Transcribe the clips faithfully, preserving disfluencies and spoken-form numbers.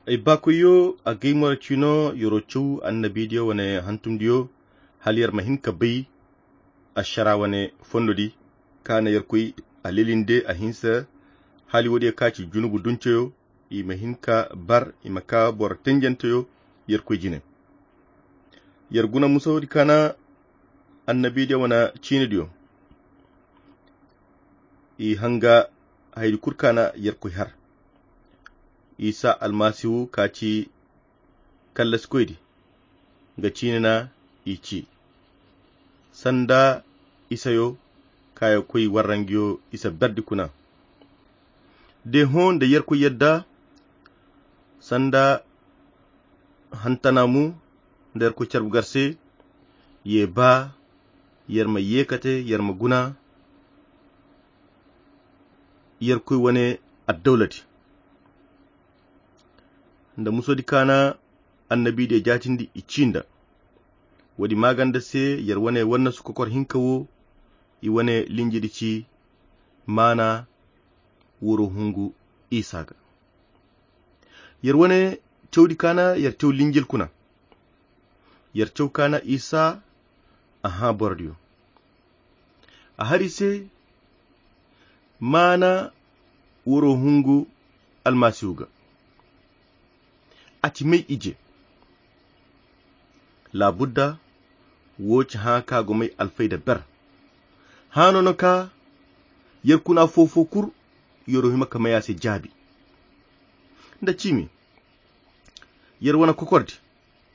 Ay baakoyyo, a gay moro cino yero caw annabidiyo wane hantumdiyo, hala yer ma hin ka bay ašara wane fondodi, ka na yerkoy a lilinde a hinsa. Hala woodiyo ka ci junubu dunceyo, i ma hin ka bar, i ma ka boro tenjenteyo yerkoy jine. Yer guna musawodi ka na annabidiyo wane ciinidiyo, i hanga haydi kulu ka na yerkoy har. Isa almasihu ka ci kallasikoydi, nga ciine na i ci sanda isayo ka ya koy warrangiyo isa berdi kuna. De hõ nda yerkoy yadda sanda hantana mu nda yerkoy carbu gar se, ye ba yer ma ye kate yer ma guna yerkoy wane addawlati nda musodi ka na annabidiyo jaatindi i ci nda. Woodi maaganda se yer wane wannasu kokor hinka wo, i wane linjidi ci maana woro hungu isa ga. Yer wane cawdi ka na yer caw linjil kuna. Yer caw ka na isa a hã borodiyo. A hari se maana woro hungu almasihu ga. A ci may ije. Laabudda wo ci hã ka go may alfayda ber. Hã no no ka yer kuna foo-foo kulu yero hima ka may a se jaabi. Nda ciimi yer wane kokordi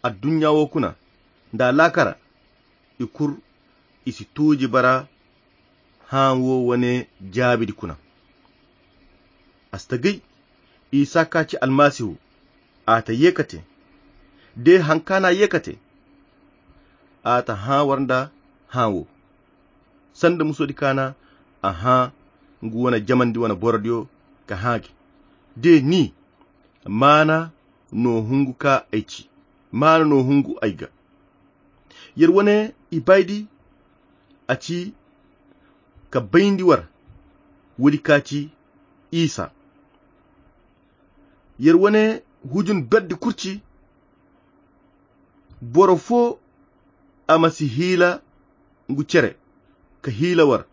adduɲɲa wo kuna nda alaakara i kulu i si tuuji bara hã wo wane jaabidi kuna. A si ta gay isa ka ci almasihu a ta ye kate. De haŋ ka na ye kate a ta hã war nda hã wo sanda musodi ka na a hã ngu wane jamandi wane borodiyo ka hã gi. De ni maana no hungu ka ay ci maana no hungu ay ga. Yer wane ibaydi a ci ka bayndi war woodi ka ci isa. Yer wane hujun berdi kurci boro foo a ma si hiila ngu cere ka hiila war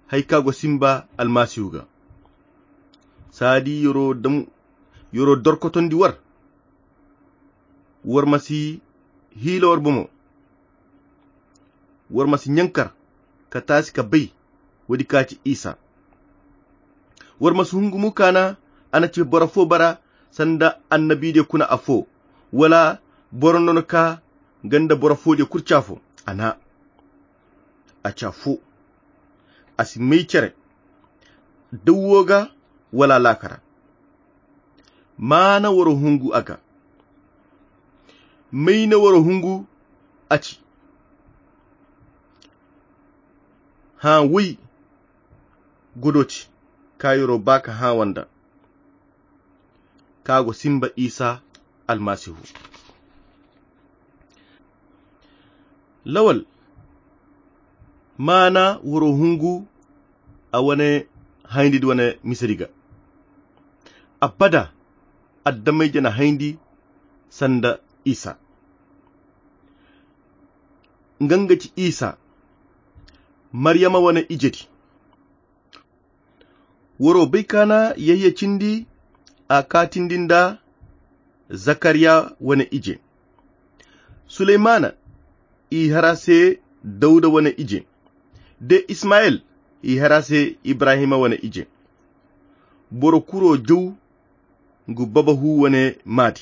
hari ka go simba almasihu ga. Saadi yeroo dorkotondi war war ma si hiila war bomo. War ma si ɲankar ka taasi ka bay woodi ka ci isa. War ma si hungu mu ka na a na ci boro foo bara sanda annabidiyo kuna afoo wala boro no no ka ganda boro foodiyo kulu ci afoo. A na a ci afoo a si may cere dawwo ga wala alaakara. Maana woro hungu a ga mayne woro hungu a ci. Hã woy godo ci ka yeroo ba ka hã wanda ka go simba isa almasihu. Lawal maana woro hungu a wane hayndi di wane misedi ga. Abada addamayje na hayndi sanda isa nga nga ci isa maryama wane ije di. Woro bay ka na yahya cindi a kaatindi nda zakariya wane ije. Suleymana i hara se dawda wane ije de ismayel i hara se ibrahima wane ije. Boro kuro jaw ngu baba hu wane maadi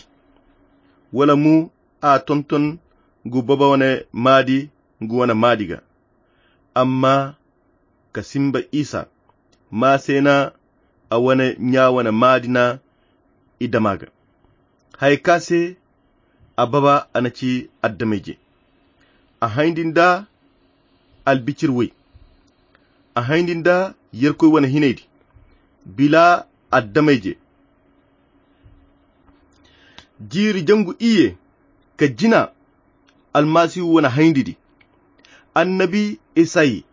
wala mu a tonton ngu baba wane maadi ngu wane maadi ga. Amma ka simba isa ma se na a wane ɲa wane maadi na i dama ga. Haya ka se a baba a na ci addamayje a hayndi nda albicir woy a hayndi nda yerkoy wane hinaydi bila addamayje. Jiiri jangu iyye ka jina almasihu wane hayndi di annabi esayi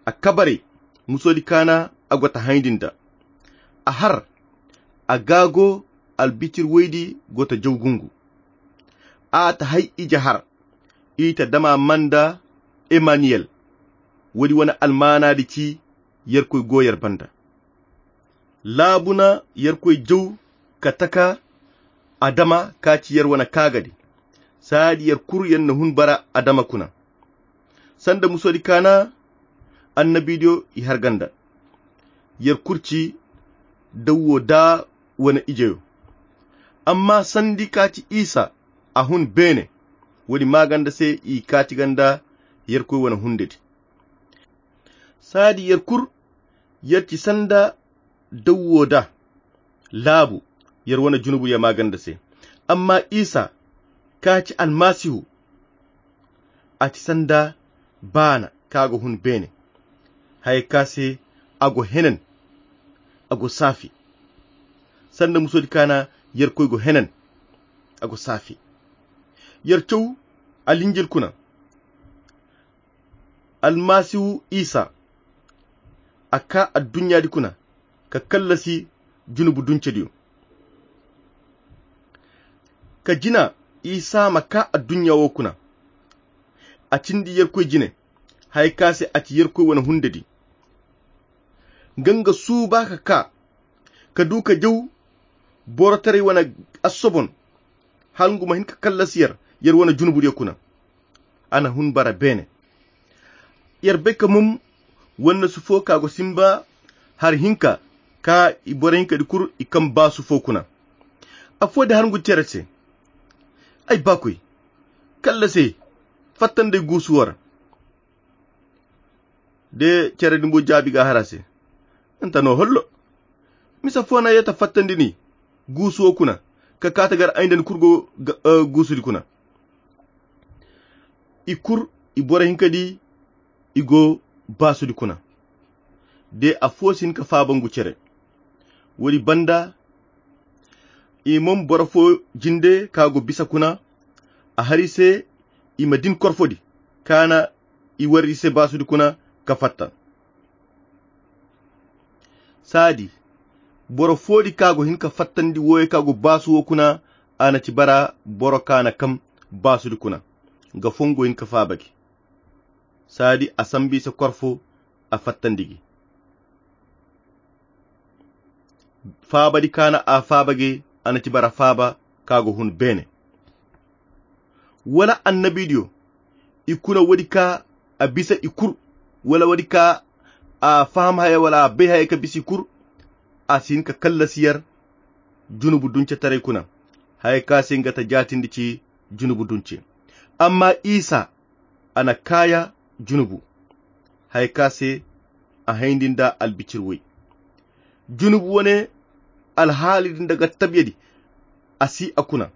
a kabaray musoodi kaana a go ta hayndi nda a har a gaago albitir woydi go ta jaw gungu. A ta hay ije har, i ta dama manda Emaniyel. Woodi wane almaanaadi ci Yerkoy go yer banda. Laabu na Yerkoy jaw ka taka Adama ka ci yer wane kaagadi. Saadi yer kul yer na hun bara Adama kuna. Sanda musoodi ka na annabiidiyo i har ganda. Yer kul ci dawwo da wane ijeyo. Amma sandi ka ci Isa a hun beene, woodi maaganda se i ka ci ganda Yerkoy wane hundedi. Saadi yer kul yer ci sanda dawwo da laabu, yer wane junubu ya maaganda se. Amma Isa ka ci Almasihu, a ci sanda baana ka go hun beene. Haya ka se a go henen, a go saafi. Sanda musoodi ka na Yerkoy go henen, a go saafi. Yer caw Alinjil kuna. Almasihu Isa a ka adduɲɲaadi kuna ka kallasi junubu duncediyo. Ka jina Isa ma ka adduɲɲa wo kuna. A cindi Yerkoy jine, haya ka se a ci Yerkoy wane hundedi. Nga nga suuba ka ka, ka du ka jaw borotaray wane assobon, hala ngu ma hin ka kallasi yer, yer wane junubudiyo kuna. A na hun bara beene. Yer bay ka mum wannasu fo ka go simba hari hinka ka i boro hinkadi kul i kaŋ baasu fo kuna. Afo di har ngu cere se. Ay baakoy, kallasi ay, fatta nda ay guusu wo ra. De cere din bumbo jaabi ga a har a se. Nta no hollo. Misa fo no a ye ta fattandi ni guusu wo kuna, ka ka ta gar ay nda ni kul go guusudi kuna. I kul i boro hinka di i go baasudi kuna. De afo si hin ka faaba ngu cere. Woodi banda i mom boro fo jinde ka go bisa kuna. A har i se i ma din korfodi, ka na i warri se baasudi kuna ka fatta. Saadi boro foodi ka go hin ka fattandi wooyo ka go baasu wo kuna. A na ci bara boro ka na kam baasudi kuna. Nga fongo hin ka faaba gi. Saadi a sambu i se korfo, a fattandi gi. Faabadi ka na a faaba gi, a na ci bara faaba ka go hun beene. Wala annabidiyo i kuna woodi ka a bisa i kul, wala woodi ka a faham haya wala a bay haya ka bisa i kul. A si hin ka kallasi yer junubu dunce taray kuna. Haya ka se nga ta jaatindi ci junubu dunce. Amma isa a na kaaya junubu, haya ka se a hayndi nda albicir way. Junubu wane alhaali din daga tabyadi a si a kuna.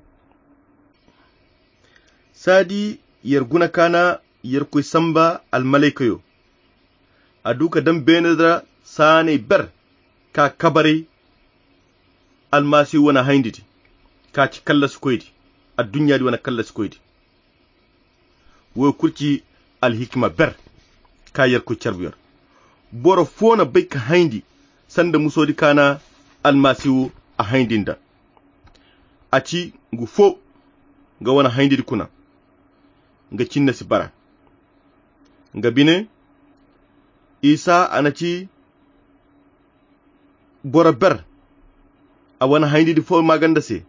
Saadi yer guna ka na yer koy samba almalaykayo. A du ka daŋ beene ra saanay ber ka kabaray almasihu wane hayndi di ka ci kallasikoy di, adduɲɲa di wane kallasikoy di. Wo kulu ci alhikima ber ka yerkoy carbu yer. Boro fo na bay ka hayndi sanda muso di ka na almasihu a hayndi nda. A ci ngu fo nga wane hayndi di kuna nga cinne si bara. Nga bine isa a na ci boro ber a wane hayndi di fo maaganda se.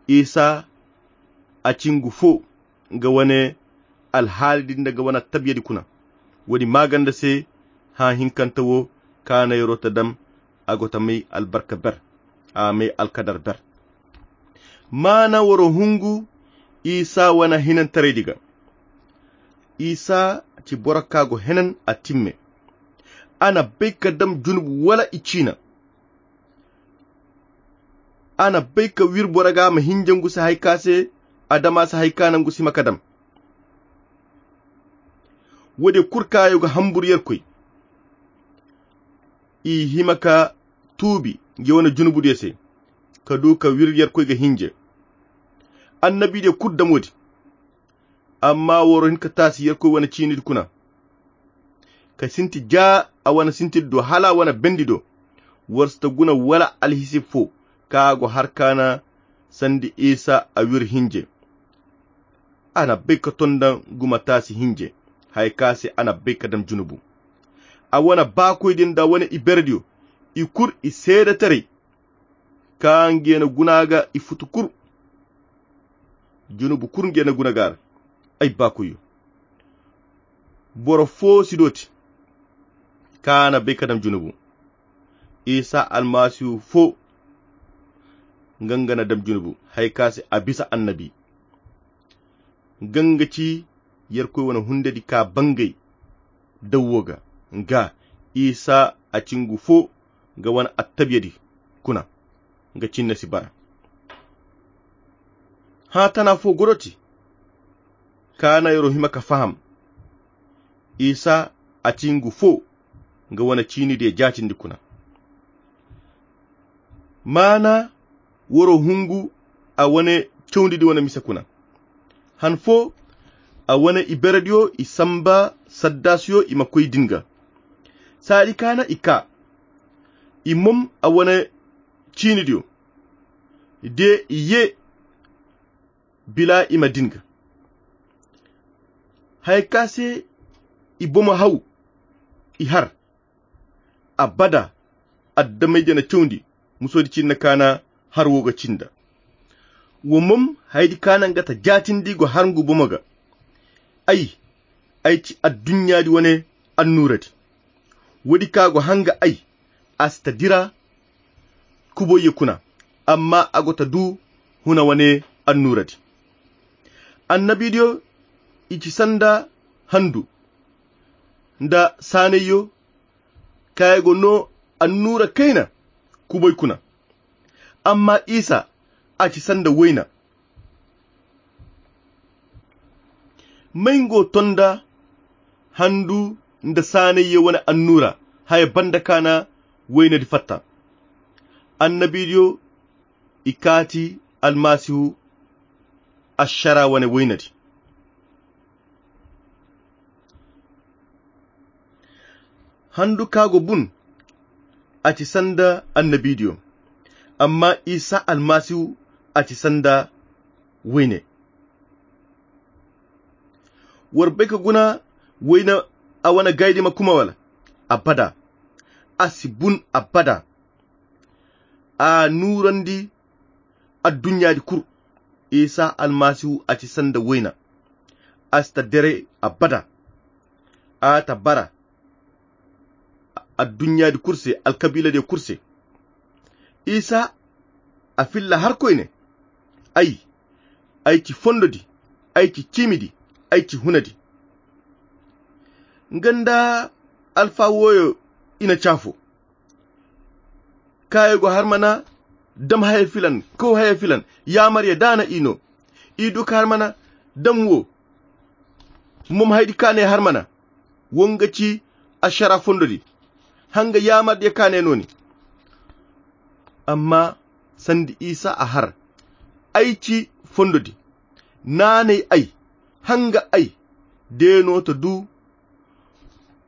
Isa a ci ngu fo nga wane alhaali di nda nga wane tabiya di kuna. Woodi maaganda se hã hinkanta wo ka na yer'o ta daŋ a go ta may albarka ber, a may alkadar ber. Maana woro hungu isa wane hinantaray di ga. Isa ci boro ka go henan a timme. A na bay ka daŋ junubu wala i ciina. A na bay ka wir boro ga ma hinja ngu se hay ka se adama se hay ka na ngu si ma ka daŋ. Woodi kulu ka yo ga hambur yerkoy i hima ka tuubi nga wane junubu diyo se ka du ka wir yerkoy ga hinje. Annabi diyo kulu daŋ woodi. Amma woro hin ka taasi yerkoy wane ciini di kuna ka sinti ja a wane sinti di do hala a wane bendi do. Woro si ta guna wala alhisib fo ka go har kaana sandi isa a wir hinje. A na bay ka tonda guma taasi hinje haya ka se a na bay ka dam junubu. A wane baakoy din da wane iberediyo i kur i seedetaray ka nge na guna ga i futu kur. Junubu kur nge na guna ga a ra. Ay baakoyo, boro fo si dooti ka na bay ka dam junubu. Isa almasihu fo nga nga na dam junubu haya ka se a bisa annabi. Nga nga ci yerkoy wane hundedi ka bangay dawwo ga. Nga isa a ci ngu fo nga wane attabiyadi kuna nga cinne si bara. Hã tana fo goroti ka na yero hima ka faham. Isa a ci ngu fo nga wane ciinidiyo jaatindi kuna. Maana woro hungu a wane cawndidi wane mise kuna. Han fo a wane iberediyo i samba saddaasiyo i ma koy din ga. Saadi kaana i kaa i mom a wane ciinidiyo de i ye bila i ma din ga. Haya ka se i bomo haw i har abada. Adamey jana cawndi musoodi cinna kaana har wo ga cinda. Wo mom haydi kaana nga ta jaatindi go har ngu bomo ga. Ay ay ci adduɲɲaadi wane annuuradi. Woodi ka go hanga ay a si ta dira kuboyye kuna amma a go ta du huna wane annuuradi. Annabiidiyo i ci sanda handu nda saanayyo kaŋ ay go no annuura kayna kuboy kuna. Amma isa a ci sanda wayna. May ngo tonda handu nda saanayyo wane annuura haya banda kaana waynadi fatta. Annabiidiyo i kaati almasihu ašara wane waynadi. Handu ka go bun a ci sanda annabiidiyo. Amma isa almasihu a ci sanda wayne. War bay ka guna wayne a wane gaydi ma kuma wala? Abada. A si bun abada. A nuurandi adduɲɲaadi kul. Isa almasihu a ci sanda wayna. A si ta dere abada. A ta bara adduɲɲaadi kul se alkabiiladiyo kul se. Isa a filla har koyne. Ay ay ci fondodi. Ay ci ciimidi. Ay ci hunadi. Nga nda alfa wooyo i na caafo. Kaayey go har mana dam haya filan kow haya filan. Yaamarya daana i no. I du ka har mana dam wo. Mom haydi kaaney har mana wo nga ci ašara fondodi. Hanga yaamardiya kaaney nooni. Amma sanda isa a har ay ci fondodi. Naanay ay hanga ay de no ta du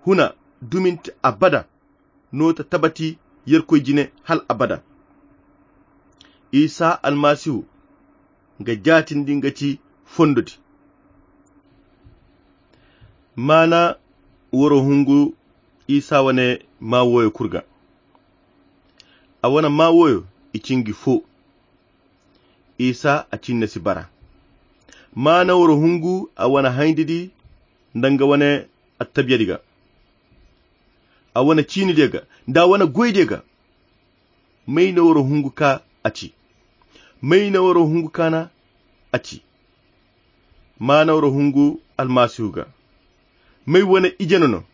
huna duminti abada. No ta tabati yerkoy jine hal abada. Isa almasihu nga jaatindi nga ci fondodi. Maana woro hungu isa wane maa wooyo kul ga. A wane maa wooyo i ci ngi fo. Isa a cinne si bara. Maana woro hungu a wane hayndi di nda nga wane attabiyadi ga. A wane ciinidiyo ga nda a wane goydiyo ga. May na woro hungu ka a ci? May na woro hungu kaana a ci? Maana woro hungu almasihu ga. May wane ije no no?